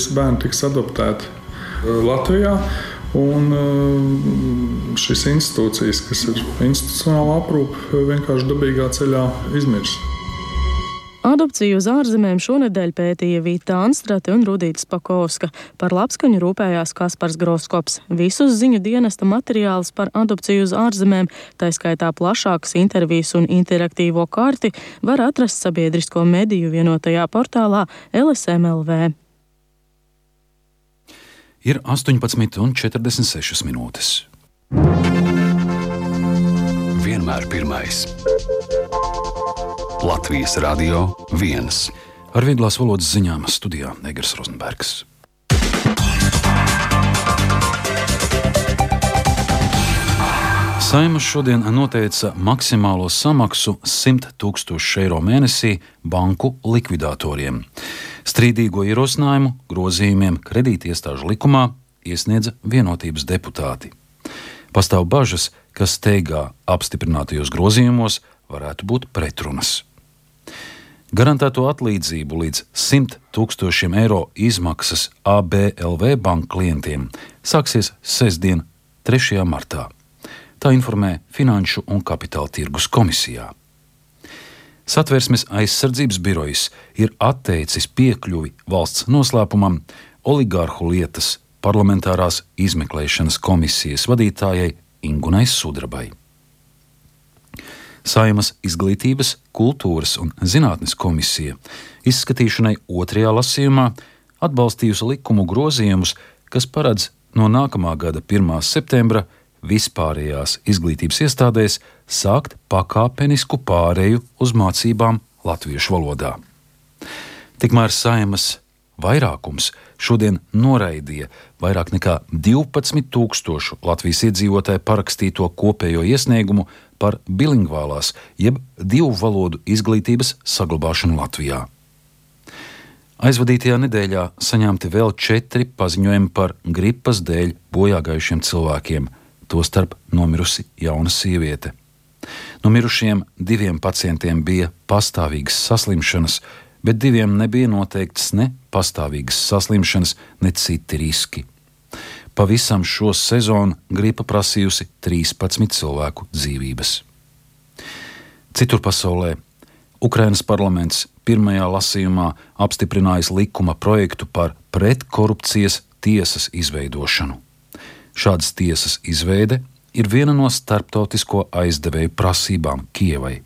visi bērni tiks adoptēti Latvijā. Un šīs institūcijas, kas ir institucionāla aprūpe, vienkārši dabīgā ceļā izmirs. Adopciju uz ārzemēm šonedēļ pētīja Vita Anstrate un Rudīta Spakovska. Par labskaņu rūpējās Kaspars Groskops. Visus ziņu dienesta materiālus par adopciju uz ārzemēm, tā skaitā plašākas intervijas un interaktīvo karti, var atrast sabiedrisko mediju vienotajā portālā LSM.LV. Ir 18,46 minūtes. Vienmēr pirmais. Latvijas Radio 1. Ar vieglās valodas ziņām studijā Negras Rozenbergs. Saeima šodien noteica maksimālo samaksu 100 000 eiro mēnesī banku likvidatoriem. Strīdīgo ierosinājumu grozījumiem kredītiestāžu likumā iesniedza Vienotības deputāti. Pastāv bažas, ka steigā apstiprinātajos grozījumos varētu būt pretrunas. Garantēto atlīdzību līdz 100 000 eiro izmaksas ABLV banku klientiem sāksies sestdien, 3. martā. Tā informē Finanšu un Kapitāla tirgus komisijā. Satversmes aizsardzības birojs ir atteicis piekļuvi valsts noslēpumam oligārhu lietas parlamentārās izmeklēšanas komisijas vadītājai Ingunai Sudrabai. Saeimas izglītības, kultūras un zinātnes komisija izskatīšanai 2. lasījumā atbalstījusi likumu grozījumus, kas paredz no nākamā gada 1. septembra vispārējās izglītības iestādēs sākt pakāpenisku pāreju uz mācībām latviešu valodā. Tikmēr Saeimas vairākums šodien noraidīja vairāk nekā 12 000 Latvijas iedzīvotāju parakstīto kopējo iesniegumu par bilingvālās jeb divu valodu izglītības saglabāšanu Latvijā. Aizvadītajā nedēļā saņemti vēl 4 paziņojumi par gripas dēļ bojāgājušiem cilvēkiem, tostarp nomirusi jauna sieviete. No mirušiem 2 pacientiem bija pastāvīgas saslimšanas, bet 2 nebija noteikts ne pastāvīgas saslimšanas, ne citi riski. Pavisam šo sezonu gripa prasījusi 13 cilvēku dzīvības. Citur pasaulē Ukrainas parlaments 1. lasījumā apstiprinājis likuma projektu par pretkorupcijas tiesas izveidošanu. Šādas tiesas izveide ir viena no starptautisko aizdevēju prasībām Kijevai.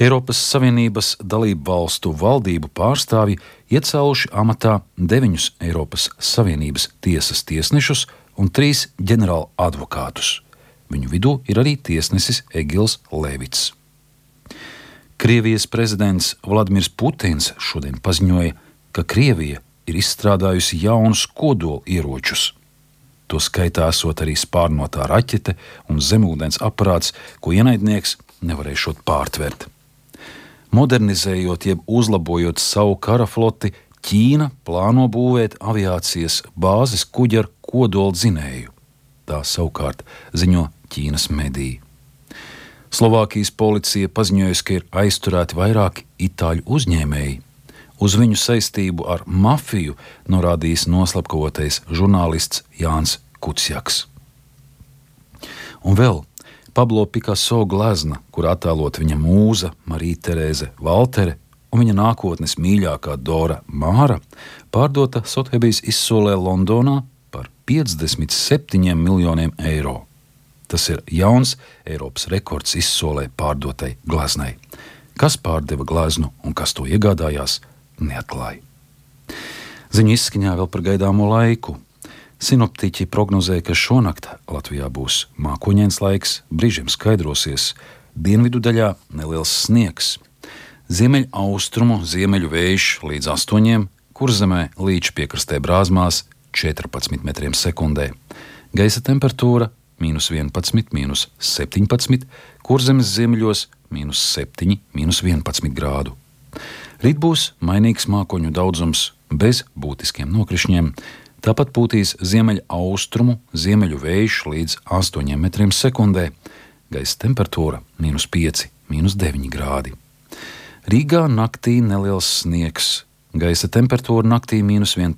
Eiropas Savienības dalību valstu valdību pārstāvji iecēluši amatā 9 Eiropas Savienības tiesas tiesnešus un 3 ģenerāla advokātus. Viņu vidū ir arī tiesnesis Egils Levits. Krievijas prezidents Vladimirs Putins šodien paziņoja, ka Krievija ir izstrādājusi jaunus kodolieročus. To skaitā esot arī spārnotā raķete un zemūdens aparāts, ko ienaidnieks nevarēšot pārtvert. Modernizējot jeb uzlabojot savu karafloti, Ķīna plāno būvēt aviācijas bāzes kuģi ar kodoldzinēju. Tā savukārt ziņo Ķīnas mediji. Slovākijas policija paziņojusi, ka ir aizturēti vairāki itāļu uzņēmēji. Uz viņu saistību ar mafiju norādījis noslapkavotais žurnālists Jānis Kuciaks. Un vēl Pablo Picasso glezna, kur attēlot viņa mūza Marija Terēze Valtere un viņa nākotnes mīļākā Dora Māra, pārdota Sothebijas izsolē Londonā par 57 miljoniem eiro. Tas ir jauns Eiropas rekords izsolē pārdotai gleznai. Kas pārdeva gleznu un kas to iegādājās, neatklāja. Ziņu izskaņā vēl par gaidāmo laiku. Sinoptiķi prognozē, ka šonakt Latvijā būs mākoņains laiks, brīžiem skaidrosies, dienvidu daļā neliels sniegs. Ziemeļaustrumu ziemeļu vējš līdz 8, Kurzemē līdz piekrastē Brāzmās 14 metriem sekundē. Gaisa temperatūra -11, -17, Kurzemes ziemeļos -7, -11 grādu. Rīt būs mainīgs mākoņu daudzums bez būtiskiem nokrišņiem, tāpat pūtīs ziemeļaustrumu ziemeļu vējš līdz 8 metriem sekundē, gaisa temperatūra -5, -9 grādi. Rīgā naktī neliels sniegs, Gaisa temperatūra naktī -11,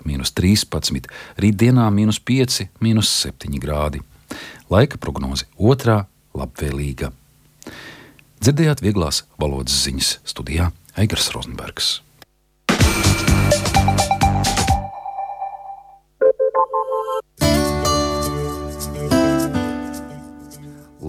-13, rītdienā -5, -7 grādi. Laika prognoze 2. labvēlīga. Dzirdējāt vieglās valodas ziņas, studijā Eigars Rozenbergs.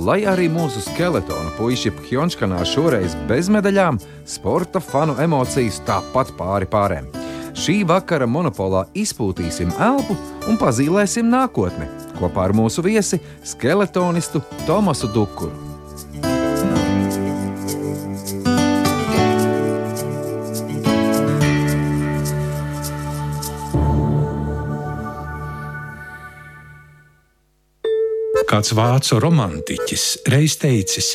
Lai arī mūsu skeletonu puiši Phjončkanā šoreiz bez medaļām, sporta fanu emocijas tāpat pāri pārēm. Šī vakara monopolā izpūtīsim elpu un pazīlēsim nākotni kopā ar mūsu viesi skeletonistu Tomasu Dukuru. Kāds vācu romantiķis reiz teicis,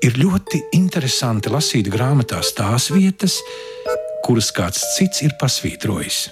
ir ļoti interesanti lasīt grāmatās tās vietas, kuras kāds cits ir pasvītrojis.